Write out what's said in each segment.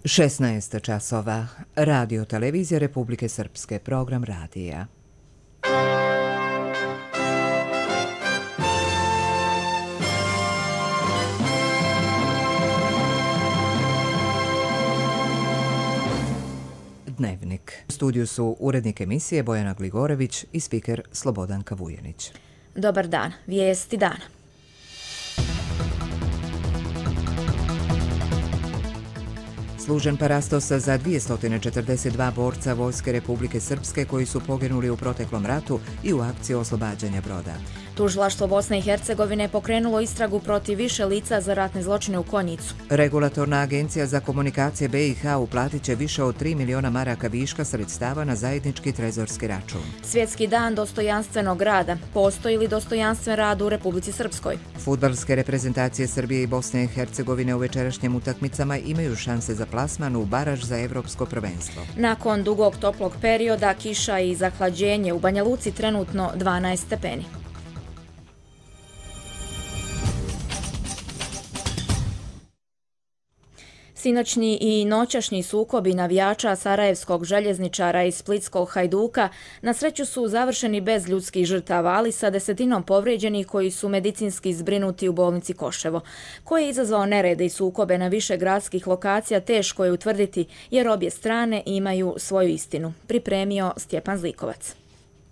16 časova. Radio Televizija Republike Srpske. Program radija. Dnevnik. U studiju su urednik emisije Bojana Gligorević i spiker Slobodanka Vujanić. Dobar dan. Vijesti dana. Služen parastos za 242 borca Vojske Republike Srpske koji su poginuli u proteklom ratu i u akciji oslobađanja Broda. Tužilaštvo Bosne i Hercegovine pokrenulo istragu protiv više lica za ratne zločine u Konjicu. Regulatorna agencija za komunikacije BiH uplatit će više od 3 miliona maraka viška sredstava na zajednički trezorski račun. Svjetski dan dostojanstvenog rada. Postoji li dostojanstven rad u Republici Srpskoj? Fudbalske reprezentacije Srbije i Bosne i Hercegovine u večerašnjim utakmicama imaju šanse za plasman u baraž za evropsko prvenstvo. Nakon dugog toplog perioda, kiša i zahlađenje u Banja Luci trenutno 12 stepeni. Sinoćni i noćašnji sukobi navijača sarajevskog željezničara i splitskog Hajduka na sreću su završeni bez ljudskih žrtava, ali sa desetinom povrijeđenih koji su medicinski zbrinuti u bolnici Koševo. Ko je izazvao nerede i sukobe na više gradskih lokacija teško je utvrditi jer obje strane imaju svoju istinu. Pripremio Stjepan Zlikovac.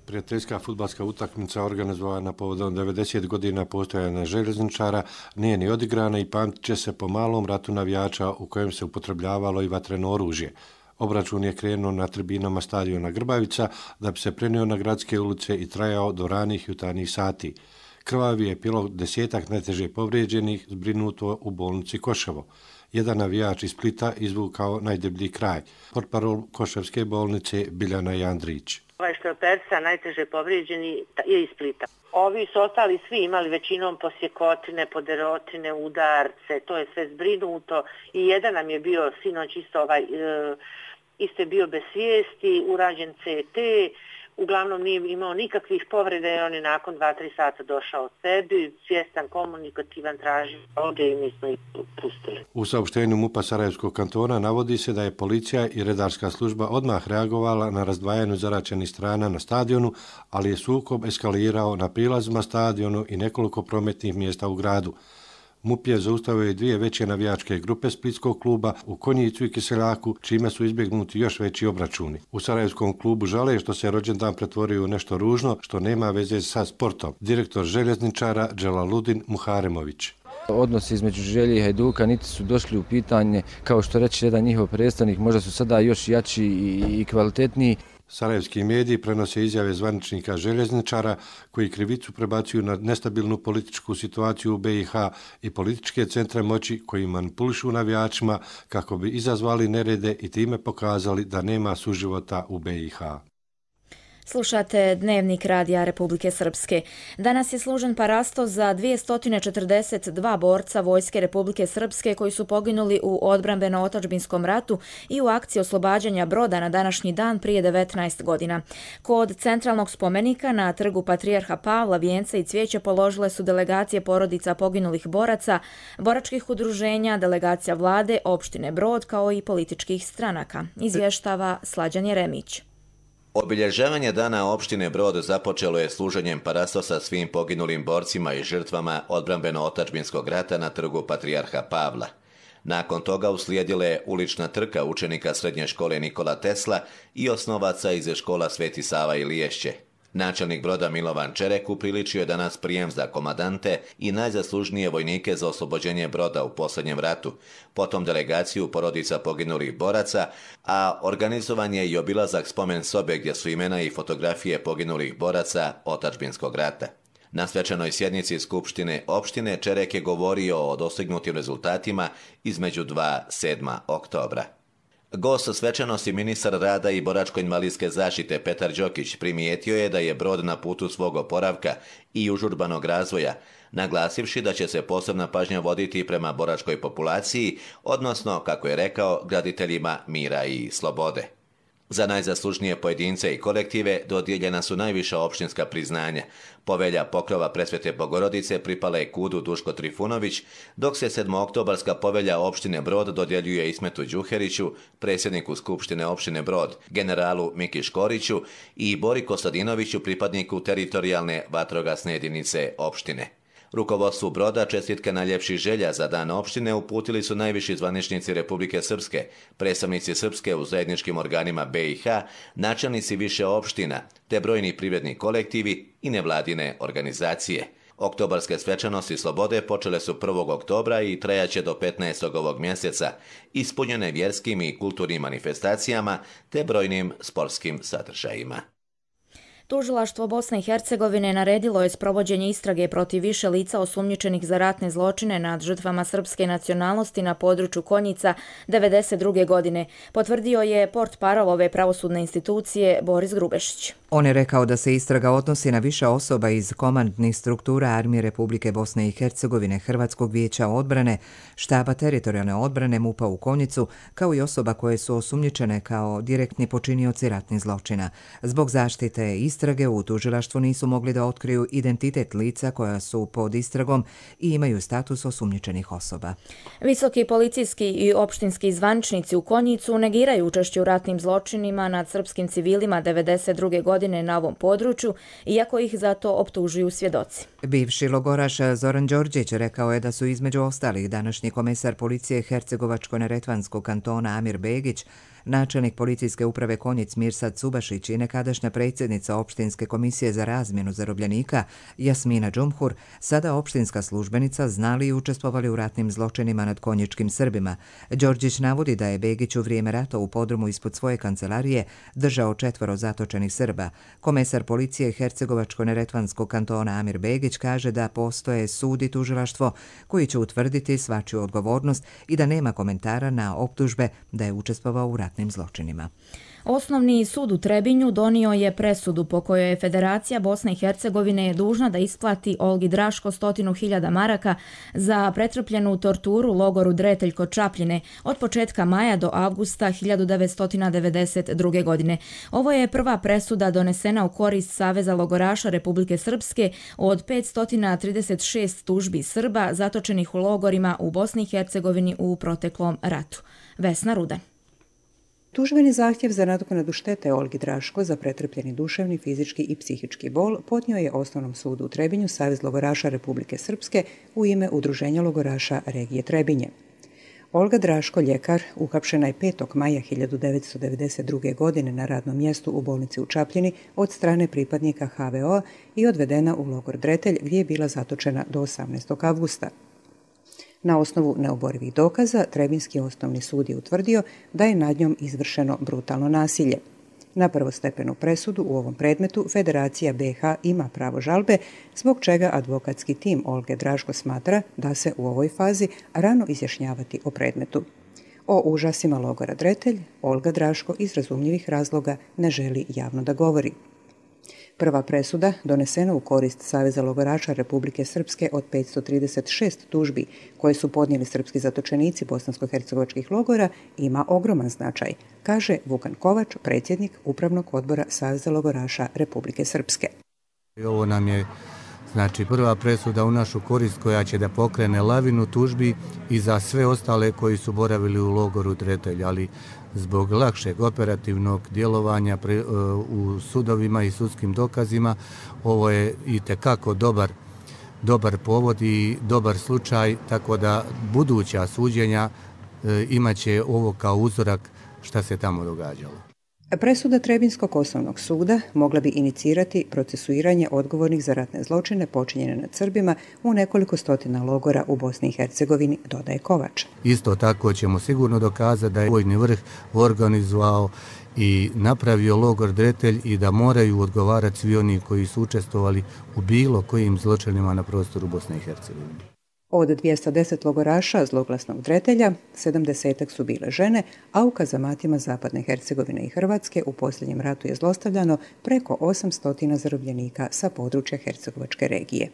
Prijateljska fudbalska utakmica organizovana povodom 90 godina postojanja željezničara nije ni odigrana i pamtit će se po malom ratu navijača u kojem se upotrebljavalo i vatreno oružje. Obračun je krenuo na tribinama stadiona Grbavica da bi se prenio na gradske ulice i trajao do ranih jutarnjih sati. Krvavi je bilo 10-ak najteže povrijeđenih zbrinuto u bolnici Koševo. Jedan navijač iz Splita izvukao najdeblji kraj. Portparol Koševske bolnice Biljana Jandrić. Ovaj što je Persa najteže povrijeđeni je iz Splita. Ovi su ostali svi imali većinom posjekotine, poderotine, udarce, to je sve zbrinuto i jedan nam je bio sinoć isto je bio bez svijesti, urađen CT, uglavnom nije imao nikakvih povreda jer on je nakon 2-3 sata došao sebi, svjestan, komunikativan, traži ovdje i mi smo ih pustili. U saopštenju MUP-a Sarajevskog kantona navodi se da je policija i redarska služba odmah reagovala na razdvajanju zaraćenih strana na stadionu, ali je sukob eskalirao na prilazima stadionu i nekoliko prometnih mjesta u gradu. MUP je zaustavio i dvije veće navijačke grupe splitskog kluba u Konjicu i Kiseljaku, čime su izbjegnuti još veći obračuni. U Sarajevskom klubu žale što se rođendan pretvorio u nešto ružno, što nema veze sa sportom. Direktor željezničara Dželaludin Muharemović. Odnosi između Želje i Hajduka niti su došli u pitanje, kao što reče jedan njihov predstavnik, možda su sada još jači i kvalitetniji. Sarajevski mediji prenose izjave zvaničnika željezničara koji krivicu prebacuju na nestabilnu političku situaciju u BiH i političke centre moći koji manipulišu navijačima kako bi izazvali nerede i time pokazali da nema suživota u BiH. Slušate Dnevnik Radija Republike Srpske. Danas je služen parastos za 242 borca Vojske Republike Srpske koji su poginuli u odbrambeno-otadžbinskom ratu i u akciji oslobađanja Broda na današnji dan prije 19 godina. Kod centralnog spomenika na trgu Patrijarha Pavla vijence i cvijeće položile su delegacije porodica poginulih boraca, boračkih udruženja, delegacija vlade, opštine Brod kao i političkih stranaka. Izvještava Slađan Jeremić. Obilježavanje dana opštine Brod započelo je služenjem parastosa svim poginulim borcima i žrtvama odbrambeno-otadžbinskog rata na trgu Patrijarha Pavla. Nakon toga uslijedila je ulična trka učenika srednje škole Nikola Tesla i osnovaca iz škola Sveti Sava i Liješće. Načelnik Broda Milovan Čerek upriličio je danas prijem za komadante i najzaslužnije vojnike za oslobođenje Broda u posljednjem ratu, potom delegaciju porodica poginulih boraca, a organizovan je i obilazak spomen sobe gdje su imena i fotografije poginulih boraca otadžbinskog rata. Na svečanoj sjednici Skupštine opštine Čerek je govorio o dostignutim rezultatima između 7. oktobra. Gost svečanosti ministar rada i boračko-invalidske zaštite Petar Đokić primijetio je da je Brod na putu svog oporavka i užurbanog razvoja, naglasivši da će se posebna pažnja voditi prema boračkoj populaciji, odnosno, kako je rekao, graditeljima mira i slobode. Za najzaslužnije pojedince i kolektive dodijeljena su najviša opštinska priznanja. Povelja pokrova Presvete Bogorodice pripala je KUD-u Duško Trifunović, dok se 7-oktobarska povelja opštine Brod dodjeljuje Ismetu Đuheriću, predsjedniku Skupštine opštine Brod, generalu Miki Škoriću i Bori Kostadinoviću, pripadniku teritorijalne vatrogasne jedinice opštine. Rukovodstvu Broda čestitke najljepših želja za dan opštine uputili su najviši zvaničnici Republike Srpske, predstavnici Srpske u zajedničkim organima BiH, načelnici više opština, te brojni privredni kolektivi i nevladine organizacije. Oktobarske svečanosti slobode počele su 1. oktobra i trajaće do 15. ovog mjeseca, ispunjene vjerskim i kulturnim manifestacijama te brojnim sportskim sadržajima. Tužilaštvo Bosne i Hercegovine naredilo je sprovođenje istrage protiv više lica osumnjičenih za ratne zločine nad žrtvama srpske nacionalnosti na području Konjica 1992. godine, potvrdio je portparol ove pravosudne institucije Boris Grubešić. On je rekao da se istraga odnosi na više osoba iz komandnih struktura Armije Republike Bosne i Hercegovine, Hrvatskog vijeća odbrane, štaba teritorijalne odbrane MUP-a u Konjicu, kao i osoba koje su osumnjičene kao direktni počinioci ratnih zločina. Zbog zaštite istrage u tužilaštvu nisu mogli da otkriju identitet lica koja su pod istragom i imaju status osumnjičenih osoba. Visoki policijski i opštinski zvaničnici u Konjicu negiraju učešće u ratnim zločinima nad srpskim civilima 1992. godine na ovom području, iako ih za to optužuju svjedoci. Bivši logoraš Zoran Đorđić rekao je da su između ostalih današnji komesar policije Hercegovačko-neretvanskog kantona Amir Begić, načelnik policijske uprave Konjic Mirsad Subašić i nekadašnja predsjednica opštinske komisije za razmjenu zarobljenika Jasmina Džumhur, sada opštinska službenica, znali i učestvovali u ratnim zločinima nad konjičkim Srbima. Đorđić navodi da je Begić u vrijeme rata u podrumu ispod svoje kancelarije držao 4 zatočenih Srba. Komesar policije Hercegovačko-neretvanskog kantona Amir Begić kaže da postoje sud i tužilaštvo koji će utvrditi svačiju odgovornost i da nema komentara na optužbe da je učestvovao u ratnim zločinima. Osnovni sud u Trebinju donio je presudu po kojoj je Federacija Bosne i Hercegovine dužna da isplati Olgi Draško 100.000 maraka za pretrpljenu torturu u logoru Dretelj kod Čapljine od početka maja do avgusta 1992. godine. Ovo je prva presuda donesena u korist Saveza logoraša Republike Srpske od 536 tužbi Srba zatočenih u logorima u Bosni i Hercegovini u proteklom ratu. Vesna Rudan. Tužbeni zahtjev za nadoknadu štete Olgi Draško za pretrpljeni duševni, fizički i psihički bol podnio je Osnovnom sudu u Trebinju Savez logoraša Republike Srpske u ime Udruženja logoraša regije Trebinje. Olga Draško, ljekar, uhapšena je 5. maja 1992. godine na radnom mjestu u bolnici u Čapljini od strane pripadnika HVO i odvedena u logor Dretelj gdje je bila zatočena do 18. avgusta. Na osnovu neoborivih dokaza, Trebinski osnovni sud je utvrdio da je nad njom izvršeno brutalno nasilje. Na prvostepenu presudu u ovom predmetu Federacija BiH ima pravo žalbe, zbog čega advokatski tim Olge Draško smatra da se u ovoj fazi rano izjašnjavati o predmetu. O užasima logora Dretelj Olga Draško iz razumljivih razloga ne želi javno da govori. Prva presuda, donesena u korist Saveza logoraša Republike Srpske od 536 tužbi koje su podnijeli srpski zatočenici bosansko-hercegovačkih logora, ima ogroman značaj, kaže Vukan Kovač, predsjednik Upravnog odbora Saveza logoraša Republike Srpske. Ovo nam je prva presuda u našu korist koja će da pokrene lavinu tužbi i za sve ostale koji su boravili u logoru Dretelj, ali zbog lakšeg operativnog djelovanja u sudovima i sudskim dokazima, ovo je itekako dobar povod i dobar slučaj, tako da buduća suđenja imaće ovo kao uzorak šta se tamo događalo. Presuda Trebinskog osnovnog suda mogla bi inicirati procesuiranje odgovornih za ratne zločine počinjene nad Srbima u nekoliko stotina logora u Bosni i Hercegovini, dodaje Kovač. Isto tako ćemo sigurno dokazati da je vojni vrh organizovao i napravio logor Dretelj i da moraju odgovarati svi oni koji su učestvovali u bilo kojim zločinima na prostoru Bosne i Hercegovine. Od 210 logoraša zloglasnog Dretelja, 70 su bile žene, a u kazamatima Zapadne Hercegovine i Hrvatske u posljednjem ratu je zlostavljano preko 800 zarobljenika sa područja Hercegovačke regije.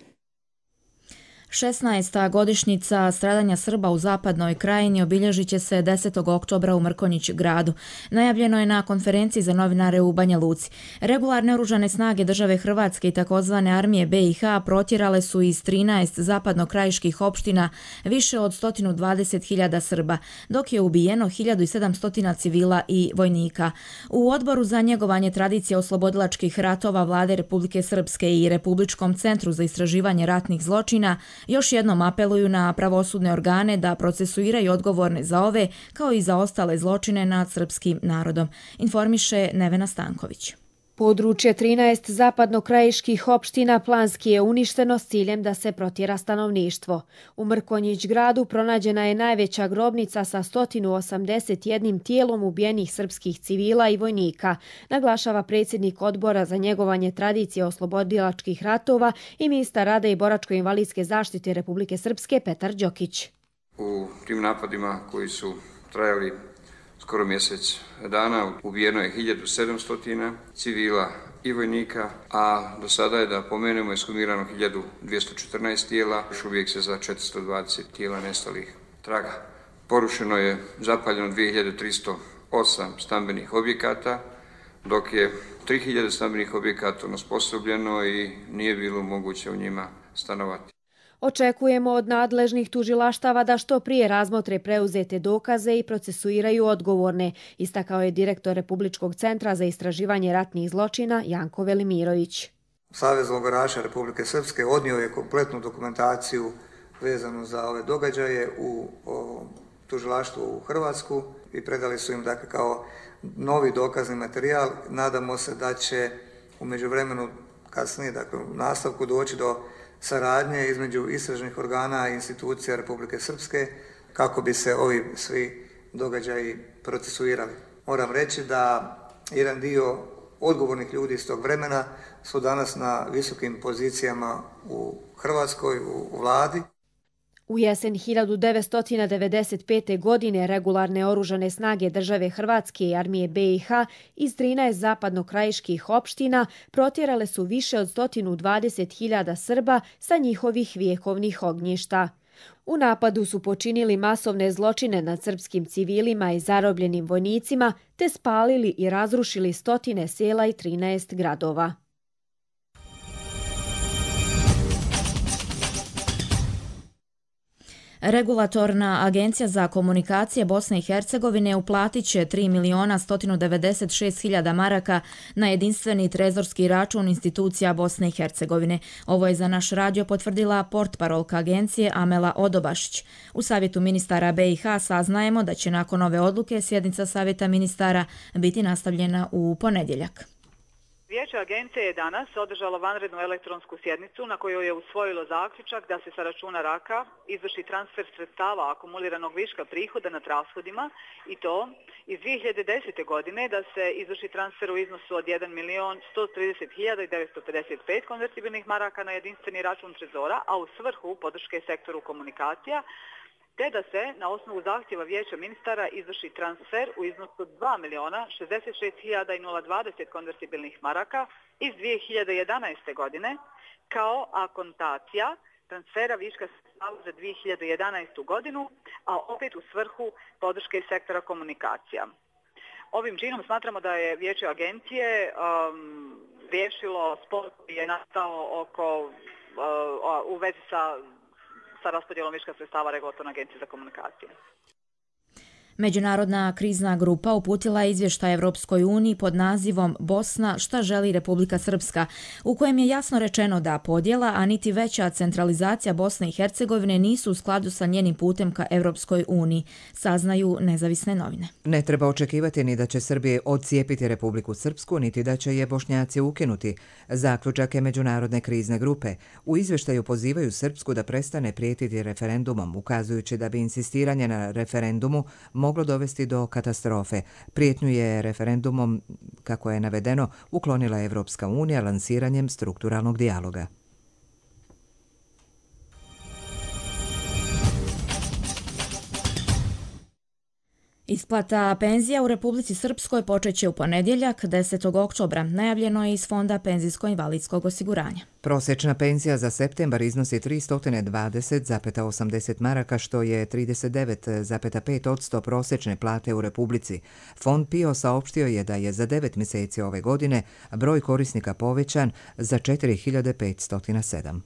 16. godišnjica stradanja Srba u zapadnoj krajini obilježit će se 10. oktobra u Mrkonjić gradu. Najavljeno je na konferenciji za novinare u Banja Luci. Regularne oružane snage države Hrvatske i takozvane armije BiH protjerale su iz 13 zapadnokrajiških opština više od 120.000 Srba, dok je ubijeno 1700 civila i vojnika. U Odboru za njegovanje tradicije oslobodilačkih ratova Vlade Republike Srpske i Republičkom centru za istraživanje ratnih zločina još jednom apeluju na pravosudne organe da procesuiraju odgovorne za ove kao i za ostale zločine nad srpskim narodom, informiše Nevena Stanković. Područje 13 zapadnokrajiških opština planski je uništeno s ciljem da se protjera stanovništvo. U Mrkonjić gradu pronađena je najveća grobnica sa 181 tijelom ubijenih srpskih civila i vojnika, naglašava predsjednik Odbora za njegovanje tradicije oslobodilačkih ratova i ministar rada i boračko-invalidske zaštite Republike Srpske Petar Đokić. U tim napadima koji su trajali skoro mjesec dana ubijeno je 1700 civila i vojnika, a do sada je, da pomenemo, ekshumirano 1214 tijela, još uvijek se za 420 tijela nestalih traga. Porušeno je, zapaljeno 2308 stambenih objekata, dok je 3000 stambenih objekata onesposobljeno i nije bilo moguće u njima stanovati. Očekujemo od nadležnih tužilaštava da što prije razmotre preuzete dokaze i procesuiraju odgovorne, istakao je direktor Republičkog centra za istraživanje ratnih zločina Janko Velimirović. Savez logoraša Republike Srpske odnio je kompletnu dokumentaciju vezanu za ove događaje u tužilaštvu u Hrvatsku i predali su im dakle kao novi dokazni materijal. Nadamo se da će u međuvremenu kasnije, dakle u nastavku, doći do saradnje između istražnih organa i institucija Republike Srpske kako bi se ovi svi događaji procesuirali. Moram reći da jedan dio odgovornih ljudi iz tog vremena su danas na visokim pozicijama u Hrvatskoj, u vladi. U jesen 1995. godine regularne oružane snage države Hrvatske i armije BiH iz 13 zapadnokrajiških opština protjerale su više od 120.000 Srba sa njihovih vjekovnih ognjišta. U napadu su počinili masovne zločine nad srpskim civilima i zarobljenim vojnicima, te spalili i razrušili stotine sela i 13 gradova. Regulatorna agencija za komunikacije Bosne i Hercegovine uplatit će 3.196.000 maraka na jedinstveni trezorski račun institucija Bosne i Hercegovine. Ovo je za naš radio potvrdila portparolka agencije Amela Odobašić. U Savjetu ministara BiH saznajemo da će nakon ove odluke sjednica Savjeta ministara biti nastavljena u ponedjeljak. Vijeće agencije je danas održalo vanrednu elektronsku sjednicu na kojoj je usvojilo zaključak da se sa računa RAKA izvrši transfer sredstava akumuliranog viška prihoda nad rashodima i to iz 2010. godine da se izvrši transfer u iznosu od 1.130.955 konvertibilnih maraka na jedinstveni račun trezora, a u svrhu podrške sektoru komunikacija, te da se na osnovu zahtjeva Vijeća ministara izvrši transfer u iznosu 2.066.020 konvertibilnih maraka iz 2011. godine kao akontacija transfera viška sredstava za 2011. godinu, a opet u svrhu podrške sektora komunikacija. Ovim činom smatramo da je Vijeće agencije riješilo spor koji je nastao u vezi sa raspodjelom viška sredstava Regulatorne agencije za komunikacije. Međunarodna krizna grupa uputila je izvještaj Evropskoj uniji pod nazivom Bosna šta želi Republika Srpska, u kojem je jasno rečeno da podjela, a niti veća centralizacija Bosne i Hercegovine nisu u skladu sa njenim putem ka Evropskoj uniji, saznaju nezavisne novine. Ne treba očekivati ni da će Srbije odcijepiti Republiku Srpsku, niti da će je Bošnjaci ukinuti. Zaključak je Međunarodne krizne grupe. U izvještaju pozivaju Srpsku da prestane prijetiti referendumom, ukazujući da bi insistiranje na referendumu moglo dovesti do katastrofe. Prijetnju je referendumom, kako je navedeno, uklonila Evropska unija lansiranjem strukturalnog dijaloga. Isplata penzija u Republici Srpskoj počeće u ponedjeljak 10. oktobra, najavljeno je iz Fonda penzijsko-invalidskog osiguranja. Prosječna penzija za septembar iznosi 320,80 maraka, što je 39,5% prosječne plate u Republici. Fond PIO saopštio je da je za 9 mjeseci ove godine broj korisnika povećan za 4507.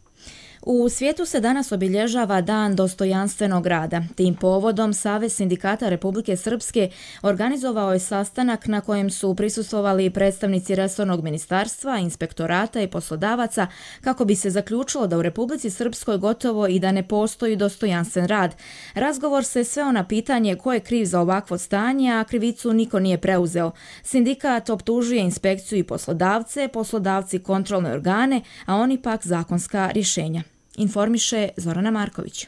U svijetu se danas obilježava Dan dostojanstvenog rada. Tim povodom Savez sindikata Republike Srpske organizovao je sastanak na kojem su prisustvovali predstavnici resornog ministarstva, inspektorata i poslodavaca kako bi se zaključilo da u Republici Srpskoj gotovo i da ne postoji dostojanstven rad. Razgovor se sveo na pitanje ko je kriv za ovakvo stanje, a krivicu niko nije preuzeo. Sindikat optužuje inspekciju i poslodavce, poslodavci kontrolne organe, a oni pak zakonska rješenja. Informiše Zorana Marković.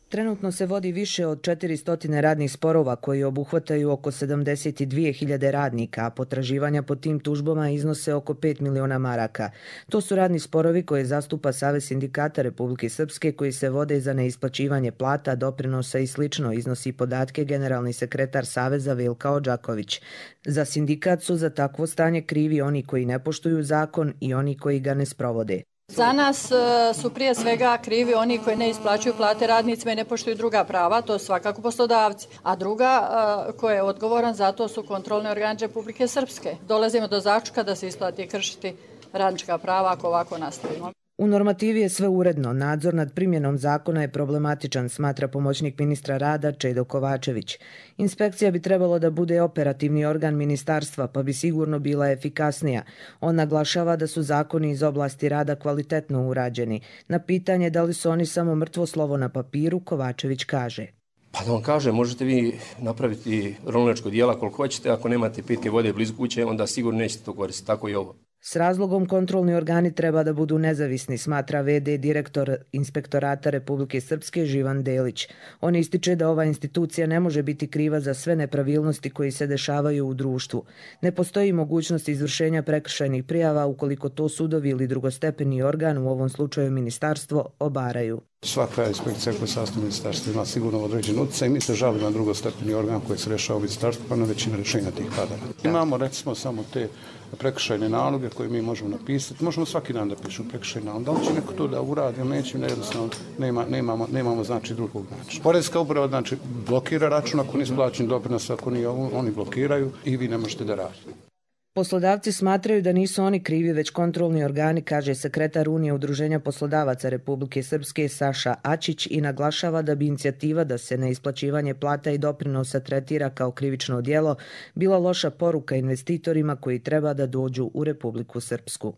Trenutno se vodi više od 400 radnih sporova koji obuhvataju oko 72.000 radnika, a potraživanja po tim tužbama iznose oko 5 miliona maraka. To su radni sporovi koje zastupa Savez sindikata Republike Srpske koji se vode za neisplaćivanje plata, doprinosa i slično, iznosi podatke generalni sekretar Saveza Vilka Odžaković. Za sindikat su za takvo stanje krivi oni koji ne poštuju zakon i oni koji ga ne sprovode. Za nas su prije svega krivi oni koji ne isplaćuju plate radnicima i ne poštuju druga prava, to su svakako poslodavci. A druga ko je odgovoran za to su kontrolni organi Republike Srpske. Dolazimo do zaključka da se isplati kršiti radnička prava ako ovako nastavimo. U normativi je sve uredno, nadzor nad primjenom zakona je problematičan, smatra pomoćnik ministra rada Čedo Kovačević. Inspekcija bi trebalo da bude operativni organ ministarstva, pa bi sigurno bila efikasnija. On naglašava da su zakoni iz oblasti rada kvalitetno urađeni. Na pitanje da li su oni samo mrtvo slovo na papiru, Kovačević kaže: Pa da vam kažem, možete vi napraviti ronilačko dijela koliko hoćete, ako nemate pitke vode blizu kuće, onda sigurno nećete to koristiti, tako i ovo. S razlogom kontrolni organi treba da budu nezavisni, smatra VD direktor Inspektorata Republike Srpske Živan Delić. On ističe da ova institucija ne može biti kriva za sve nepravilnosti koji se dešavaju u društvu. Ne postoji mogućnost izvršenja prekršajnih prijava ukoliko to sudovi ili drugostepeni organ, u ovom slučaju ministarstvo, obaraju. Svaka inspekcija koja sastav ministarstva ima sigurno određen utjecaj i mi se žalimo na drugostepeni organ koji se rešava u ministarstvu, pa na većina rješenja tih pada. Imamo recimo samo te prekršajne naloge koje mi možemo napisati. Možemo svaki dan da pišemo prekršajne naloge. Da li će neko to da uradi ili neće, jednostavno nemamo znači drugog načina. Poreska uprava znači blokira račun ako nisu plaćeni doprinos, ako nije oni blokiraju i vi ne možete da radite. Poslodavci smatraju da nisu oni krivi, već kontrolni organi, kaže sekretar Unije Udruženja poslodavaca Republike Srpske Saša Ačić i naglašava da bi inicijativa da se neisplaćivanje plata i doprinosa tretira kao krivično djelo bila loša poruka investitorima koji treba da dođu u Republiku Srpsku.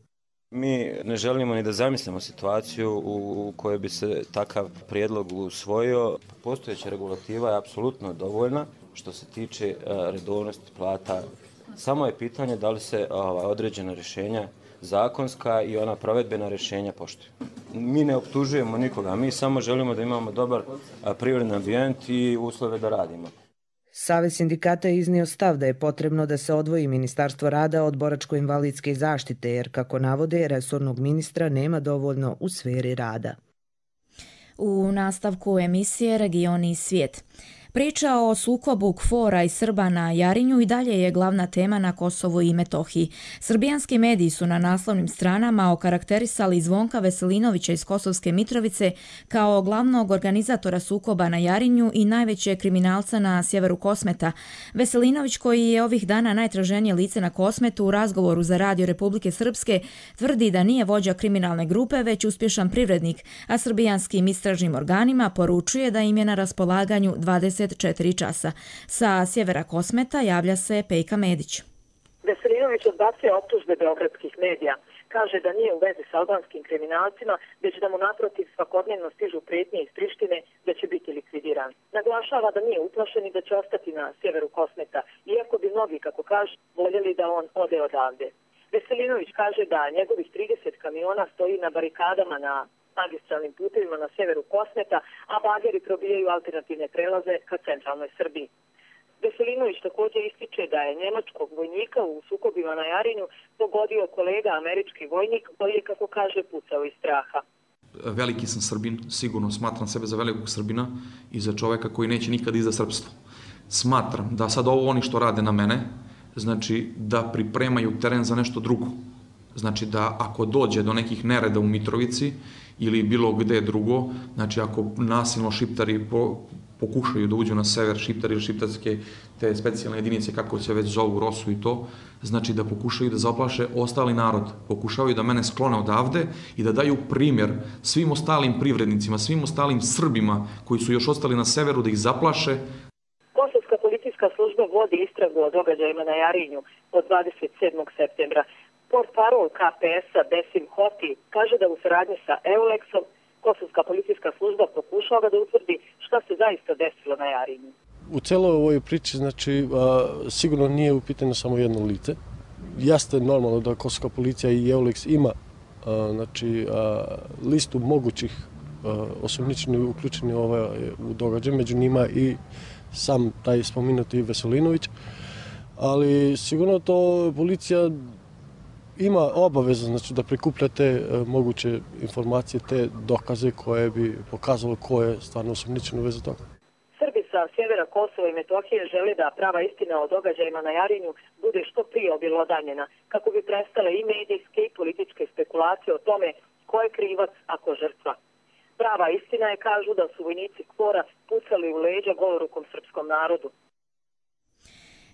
Mi ne želimo ni da zamislimo situaciju u kojoj bi se takav prijedlog usvojio. Postojeća regulativa je apsolutno dovoljna što se tiče redovnosti plata. Samo je pitanje da li se određena rješenja zakonska i ona provedbena rješenja poštuju. Mi ne optužujemo nikoga, mi samo želimo da imamo dobar privredni ambijent i uslove da radimo. Savez sindikata je iznio stav da je potrebno da se odvoji Ministarstvo rada od boračko-invalidske zaštite, jer, kako navode, resornog ministra nema dovoljno u sferi rada. U nastavku emisije Regioni i svijet. Priča o sukobu KFOR-a i Srba na Jarinju i dalje je glavna tema na Kosovu i Metohiji. Srbijanski mediji su na naslovnim stranama okarakterisali Zvonka Veselinovića iz Kosovske Mitrovice kao glavnog organizatora sukoba na Jarinju i najvećeg kriminalca na sjeveru Kosmeta. Veselinović, koji je ovih dana najtraženije lice na Kosmetu, u razgovoru za Radio Republike Srpske tvrdi da nije vođa kriminalne grupe, već uspješan privrednik, a srbijanskim istražnim organima poručuje da im je na raspolaganju 24 časa. Sa sjevera Kosmeta javlja se Pejka Medić. Veselinović odbacuje optužbe beogradskih medija. Kaže da nije u vezi s albanskim kriminalcima, već da mu naprotiv svakodnevno stižu prijetnje iz Prištine da će biti likvidiran. Naglašava da nije uplašen i da će ostati na sjeveru Kosmeta, iako bi mnogi, kako kaže, voljeli da on ode odavde. Veselinović kaže da njegovih 30 kamiona stoji na barikadama na magistralnim putevima na sjeveru Kosmeta, a bageri probijaju alternativne prelaze ka centralnoj Srbiji. Veselinović također ističe da je njemačkog vojnika u sukobima na Jarinju pogodio kolega američki vojnik koji je, kako kaže, pucao iz straha. Veliki sam Srbin, sigurno smatram sebe za velikog Srbina i za čoveka koji neće nikad izdati srpstvo. smatram da sad ovo oni što rade na mene, znači da pripremaju teren za nešto drugo. Znači da ako dođe do nekih nereda u Mitrovici ili bilo gde drugo, znači ako nasilno šiptari pokušaju da uđu na sever, šiptari ili šiptarske te specijalne jedinice, kako se već zovu, Rosu i to, znači da pokušaju da zaplaše ostali narod, pokušavaju da mene sklone odavde i da daju primjer svim ostalim privrednicima, svim ostalim Srbima koji su još ostali na severu, da ih zaplaše. Kosovska policijska služba vodi istragu o događajima na Jarinju od 27. septembra. Portparol KPS-a Besim Hoti kaže da u saradnji sa EULEX-om Kosovska policijska služba pokušava da utvrdi šta se zaista desilo na Jarinju. U celoj ovoj priči, znači, sigurno nije u pitanju samo jedno lice. Jeste normalno da Kosovska policija i EULEX ima znači, listu mogućih osumnjičenih uključeni u događaj, među njima i sam taj spomenuti Veselinović, ali sigurno to policija ima obavezu, znači, da prikuplja te moguće informacije, te dokaze koje bi pokazalo ko je stvarno osumnjičen u vezi toga. Srbi sa sjevera Kosova i Metohije žele da prava istina o događajima na Jarinju bude što prije obelodanjena, kako bi prestale i medijske i političke spekulacije o tome ko je krivac, a ko žrtva. Prava istina je, kažu, da su vojnici KFOR-a pucali u leđa golorukom srpskom narodu.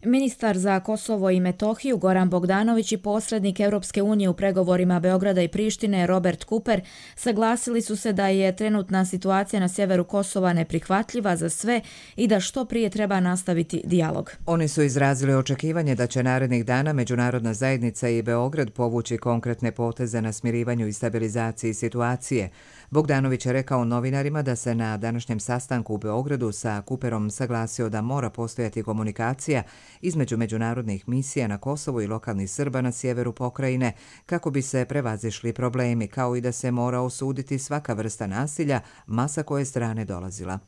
Ministar za Kosovo i Metohiju Goran Bogdanović i posrednik Europske unije u pregovorima Beograda i Prištine Robert Cooper saglasili su se da je trenutna situacija na sjeveru Kosova neprihvatljiva za sve i da što prije treba nastaviti dijalog. Oni su izrazili očekivanje da će narednih dana međunarodna zajednica i Beograd povući konkretne poteze na smirivanju i stabilizaciji situacije. Bogdanović je rekao novinarima da se na današnjem sastanku u Beogradu sa Cooperom saglasio da mora postojati komunikacija između međunarodnih misija na Kosovu i lokalnih Srba na sjeveru pokrajine kako bi se prevazišli problemi, kao i da se mora osuditi svaka vrsta nasilja, ma sa koje strane dolazila.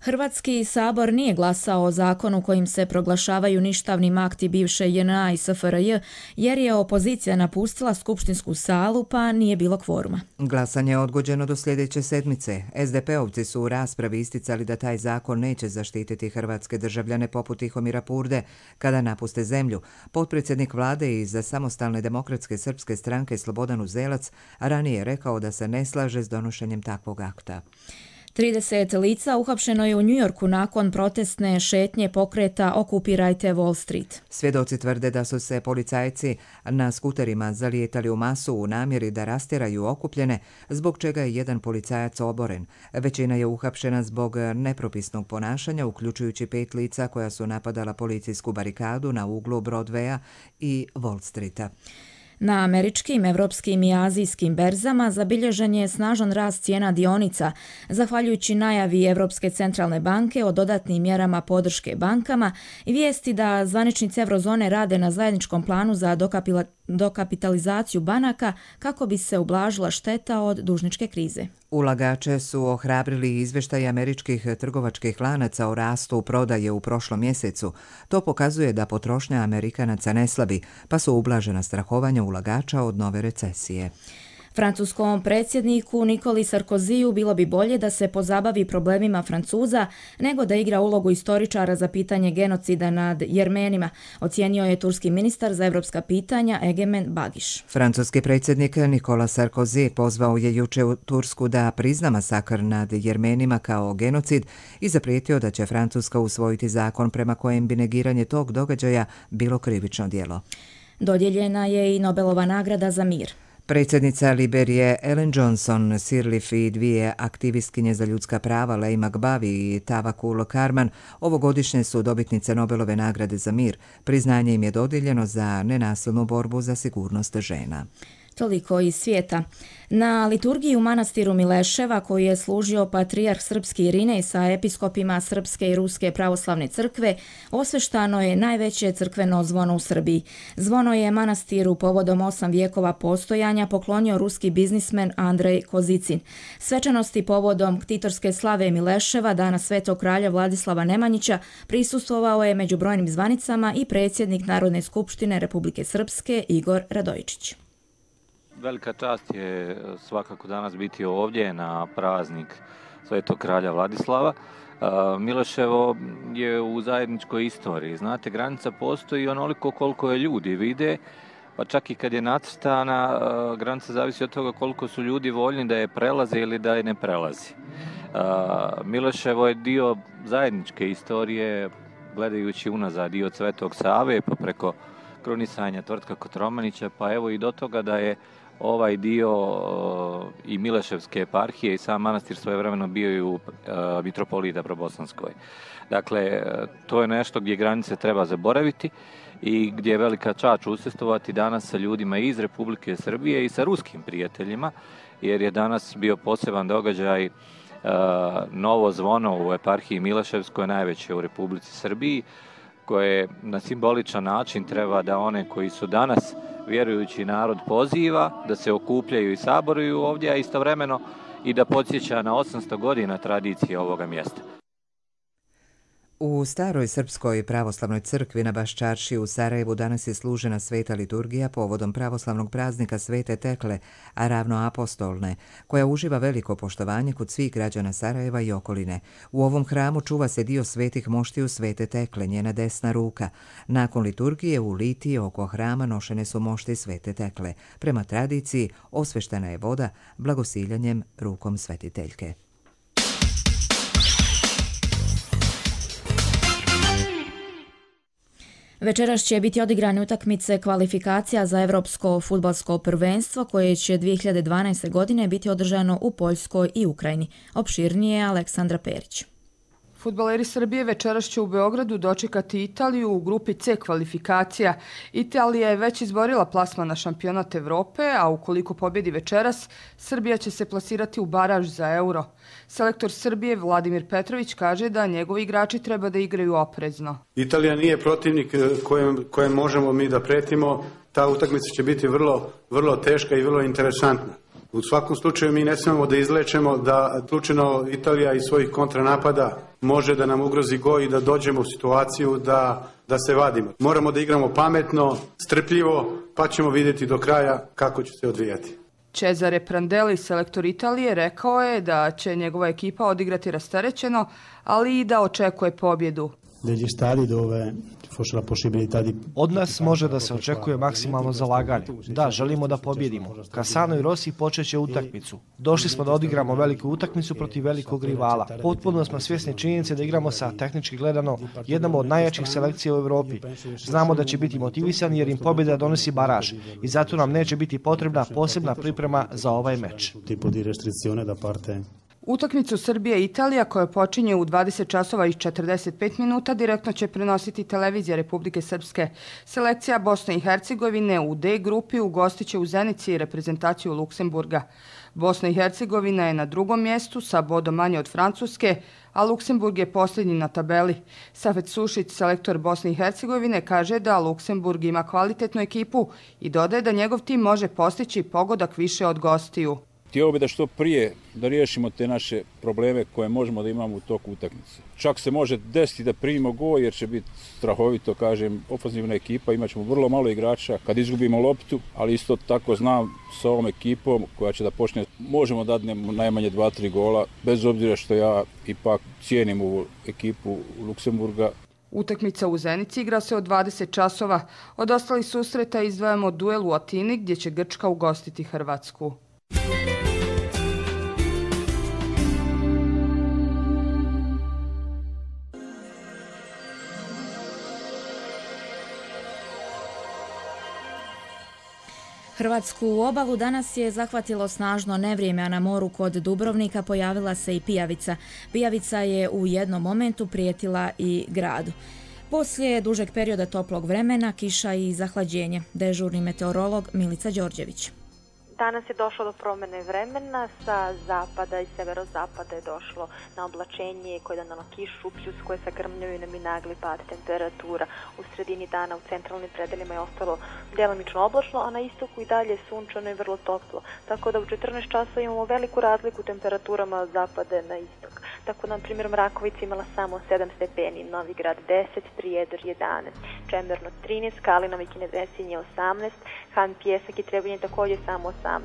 Hrvatski sabor nije glasao o zakonu kojim se proglašavaju ništavnim akti bivše JNA i SFRJ, jer je opozicija napustila skupštinsku salu pa nije bilo kvoruma. Glasanje je odgođeno do sljedeće sedmice. SDP-ovci su u raspravi isticali da taj zakon neće zaštititi hrvatske državljane poput Tihomira Purde kada napuste zemlju. Potpredsjednik vlade iz Samostalne demokratske srpske stranke Slobodan Uzelac ranije je rekao da se ne slaže s donošenjem takvog akta. 30 lica uhapšeno je u Njujorku nakon protestne šetnje pokreta Okupirajte Wall Street. Svjedoci tvrde da su se policajci na skuterima zalijetali u masu u namjeri da rastjeraju okupljene, zbog čega je jedan policajac oboren. Većina je uhapšena zbog nepropisnog ponašanja, uključujući 5 lica koja su napadala policijsku barikadu na uglu Broadwaya i Wall Streeta. Na američkim, evropskim i azijskim berzama zabilježen je snažan rast cijena dionica, zahvaljujući najavi Evropske centralne banke o dodatnim mjerama podrške bankama i vijesti da zvaničnici eurozone rade na zajedničkom planu za dokapitalizaciju banaka kako bi se ublažila šteta od dužničke krize. Ulagače su ohrabrili izvještaj američkih trgovačkih lanaca o rastu prodaje u prošlom mjesecu. To pokazuje da potrošnja Amerikanaca ne slabi, pa su ublažena strahovanja ulagača od nove recesije. Francuskom predsjedniku Nikoli Sarkoziju bilo bi bolje da se pozabavi problemima Francuza nego da igra ulogu istoričara za pitanje genocida nad Jermenima, ocijenio je turski ministar za evropska pitanja Egemen Bagiš. Francuski predsjednik Nikola Sarkozy pozvao je juče u Tursku da prizna masakr nad Jermenima kao genocid i zaprijetio da će Francuska usvojiti zakon prema kojem bi negiranje tog događaja bilo krivično djelo. Dodijeljena je i Nobelova nagrada za mir. Predsjednica Liberije Ellen Johnson Sirleaf i 2 aktivistkinje za ljudska prava Leigh McBavi i Tawakkul Karman ovogodišnje su dobitnice Nobelove nagrade za mir. Priznanje im je dodijeljeno za nenasilnu borbu za sigurnost žena. Toliko iz svijeta. Na liturgiji u manastiru Mileševa, koji je služio patrijarh srpski Irinej sa episkopima Srpske i Ruske pravoslavne crkve, osveštano je najveće crkveno zvono u Srbiji. Zvono je manastiru povodom 8 vijekova postojanja poklonio ruski biznismen Andrej Kozicin. Svečanosti povodom ktitorske slave Mileševa, dana Svetog kralja Vladislava Nemanjića, prisustvovao je među brojnim zvanicama i predsjednik Narodne skupštine Republike Srpske Igor Radojičić. Velika čast je svakako danas biti ovdje na praznik Svetog kralja Vladislava. Miloševo je u zajedničkoj istoriji. Znate, granica postoji onoliko koliko je ljudi vide, pa čak i kad je nacrtana, granica zavisi od toga koliko su ljudi voljni da je prelaze ili da je ne prelazi. Miloševo je dio zajedničke istorije, gledajući unazad i od Svetog Save, pa preko krunisanja Tvrtka Kotromanića, pa evo i do toga da je ovaj dio i Mileševske eparhije i sam manastir svojevremeno bio i u mitropolita Probosanskoj. Dakle, to je nešto gdje granice treba zaboraviti i gdje je velika čast učestvovati danas sa ljudima iz Republike Srbije i sa ruskim prijateljima, jer je danas bio poseban događaj novo zvono u eparhiji Mileševskoj, najveće u Republici Srbiji, koje na simboličan način treba da one koji su danas vjerujući narod poziva da se okupljaju i saboruju ovdje, a istovremeno i da podsjeća na 800 godina tradicije ovoga mjesta. U staroj Srpskoj pravoslavnoj crkvi na Baščaršiji u Sarajevu danas je služena sveta liturgija povodom pravoslavnog praznika Svete Tekle, a ravnoapostolne, koja uživa veliko poštovanje kod svih građana Sarajeva i okoline. U ovom hramu čuva se dio svetih moštiju Svete Tekle, njena desna ruka. Nakon liturgije u litiji oko hrama nošene su mošti Svete Tekle. Prema tradiciji, osveštena je voda blagosiljanjem rukom svetiteljke. Večeras će biti odigrane utakmice kvalifikacija za Evropsko fudbalsko prvenstvo koje će 2012. godine biti održano u Poljskoj i Ukrajini. Opširnije Aleksandra Perić. Fudbaleri Srbije večeras će u Beogradu dočekati Italiju u grupi C kvalifikacija. Italija je već izborila plasman na šampionat Evrope, a ukoliko pobjedi večeras, Srbija će se plasirati u baraž za Euro. Selektor Srbije Vladimir Petrović kaže da njegovi igrači treba da igraju oprezno. Italija nije protivnik kojem možemo mi da pretimo. Ta utakmica će biti vrlo teška i vrlo interesantna. U svakom slučaju mi ne smemo da izlečemo da slučajno Italija iz svojih kontranapada može da nam ugrozi gol i da dođemo u situaciju da se vadimo. Moramo da igramo pametno, strpljivo, pa ćemo vidjeti do kraja kako će se odvijati. Cesare Prandelli, selektor Italije, rekao je da će njegova ekipa odigrati rasterećeno, ali i da očekuje pobjedu. Od nas može da se očekuje maksimalno zalaganje. Da, želimo da pobjedimo. Cassano i Rossi počeće utakmicu. Došli smo da odigramo veliku utakmicu protiv velikog rivala. Potpuno smo svjesni činjenice da igramo sa tehnički gledano jednom od najjačih selekcija u Evropi. Znamo da će biti motivisani jer im pobjeda donosi baraž i zato nam neće biti potrebna posebna priprema za ovaj meč. Utakmicu Srbije i Italija koja počinje u 20 časova i 45 minuta direktno će prenositi televizija Republike Srpske. Selekcija Bosne i Hercegovine u D grupi ugostiće u Zenici reprezentaciju Luksemburga. Bosna i Hercegovina je na drugom mjestu sa bodom manje od Francuske, a Luksemburg je posljednji na tabeli. Safet Sušić, selektor Bosne i Hercegovine, kaže da Luksemburg ima kvalitetnu ekipu i dodaje da njegov tim može postići pogodak više od gostiju. Htio bi da što prije da riješimo te naše probleme koje možemo da imamo u toku utakmice. Čak se može desiti da primimo gol jer će biti strahovito, kažem, ofanzivna ekipa, imat ćemo vrlo malo igrača kad izgubimo loptu, ali isto tako znam sa ovom ekipom koja će da počne, možemo da dadnemo najmanje 2-3 gola, bez obzira što ja ipak cijenim ovu ekipu Luksemburga. Utakmica u Zenici igra se od 20 časova. Od ostalih susreta izdvajamo duel u Atini gdje će Grčka ugostiti Hrvatsku. Hrvatsku obalu danas je zahvatilo snažno nevrijeme, a na moru kod Dubrovnika pojavila se i pijavica. Pijavica je u jednom momentu prijetila i gradu. Poslije dužeg perioda toplog vremena, kiša i zahlađenje. Dežurni meteorolog Milica Đorđević. Danas je došlo do promjene vremena, sa zapada i severozapada je došlo na oblačenje koje je donalo kišu, pljuskuje sa grmljavinom i nagli pad temperatura. U sredini dana u centralnim predelima je ostalo djelomično oblačno, a na istoku i dalje sunčano i vrlo toplo. Tako da u 14 časova imamo veliku razliku u temperaturama od zapada na istok. Tako da, na primjer, Mrakovica imala samo 7 stepeni, Novigrad 10, Prijedor 11, Čemerno 13, Kalinovo i Kinevesinje 18, Han Pjesak i Trebinje također samo 18,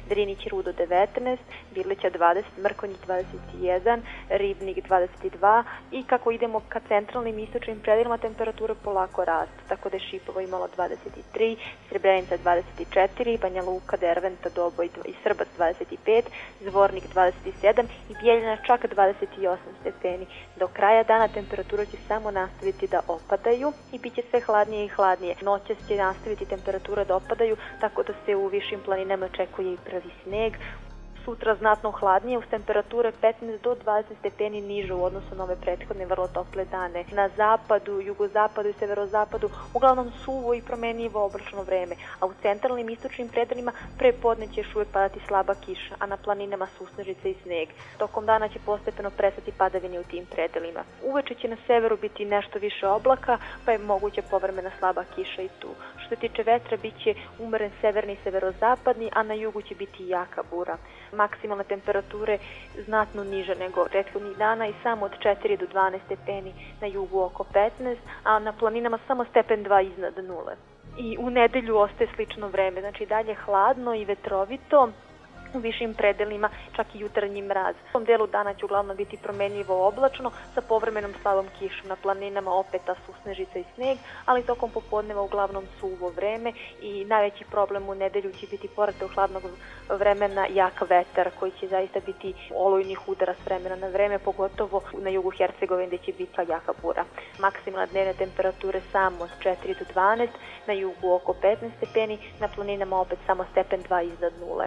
Drinić i Rudo 19, Birlića 20, Mrkonjić 21, Ribnik 22 i kako idemo ka centralnim istočnim predelima temperature polako rastu, tako da je Šipovo imalo 23, Srebrenica 24, Banja Luka, Derventa, Doboj i Srbac 25, Zvornik 27 i Bijeljina čak 28 stepeni. Do kraja dana temperatura će samo nastaviti da opadaju i bit će sve hladnije i hladnije. Noćas će nastaviti temperatura da opadaju, tako da se u višim planinama očekuje i prvi sneg. Sutra znatno hladnije, uz temperature 15 do 20 stepeni niže u odnosu na ove prethodne vrlo tople dane. Na zapadu, jugozapadu i severozapadu uglavnom suvo i promenljivo oblačno vreme, a u centralnim istočnim predelima pre podne će još uvijek padati slaba kiša, a na planinama susnežice i sneg. Tokom dana će postepeno prestati padavine u tim predelima. Uveče će na severu biti nešto više oblaka, pa je moguća povremena slaba kiša i tu. Što se tiče vetra, bit će umeren severni i severozapadni, a na jugu će biti jaka bura. Maksimalne temperature znatno niže nego prethodnih dana i samo od 4 do 12 stepeni, na jugu oko 15, a na planinama samo stepen 2 iznad nule. I u nedelju ostaje slično vreme, znači dalje hladno i vetrovito, u višim predelima čak i jutarnji mraz. U tom delu dana će uglavnom biti promenljivo oblačno sa povremenom slabom kišom, na planinama opet susnežica i sneg, ali tokom popodneva uglavnom suvo vreme i najveći problem u nedelju će biti pored tog hladnog vremena jak vetar koji će zaista biti olujnih udara s vremena na vreme, pogotovo na jugu Hercegovine gdje će biti jaka bura. Maksimalne dnevne temperature samo od 4 do 12, na jugu oko 15 stepeni, na planinama opet samo stepen 2 iznad nule.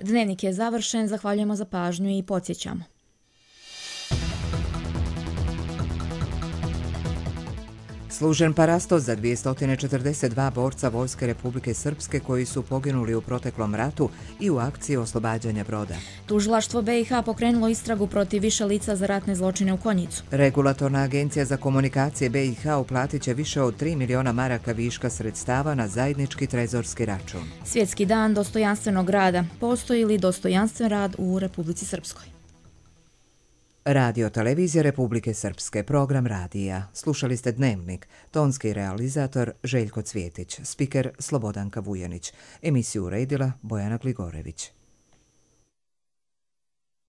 Dnevnik je završen, zahvaljujemo za pažnju i podsjećamo. Služen parastos za 242 borca Vojske Republike Srpske koji su poginuli u proteklom ratu i u akciji oslobađanja Broda. Tužilaštvo BiH pokrenulo istragu protiv više lica za ratne zločine u Konjicu. Regulatorna agencija za komunikacije BiH uplatit će više od 3 miliona maraka viška sredstava na zajednički trezorski račun. Svjetski dan dostojanstvenog rada. Postoji li dostojanstven rad u Republici Srpskoj? Radio Televizija Republike Srpske, program radija. Slušali ste Dnevnik, tonski realizator Željko Cvjetić, spiker Slobodanka Vujanić, emisiju uredila Bojana Gligorević.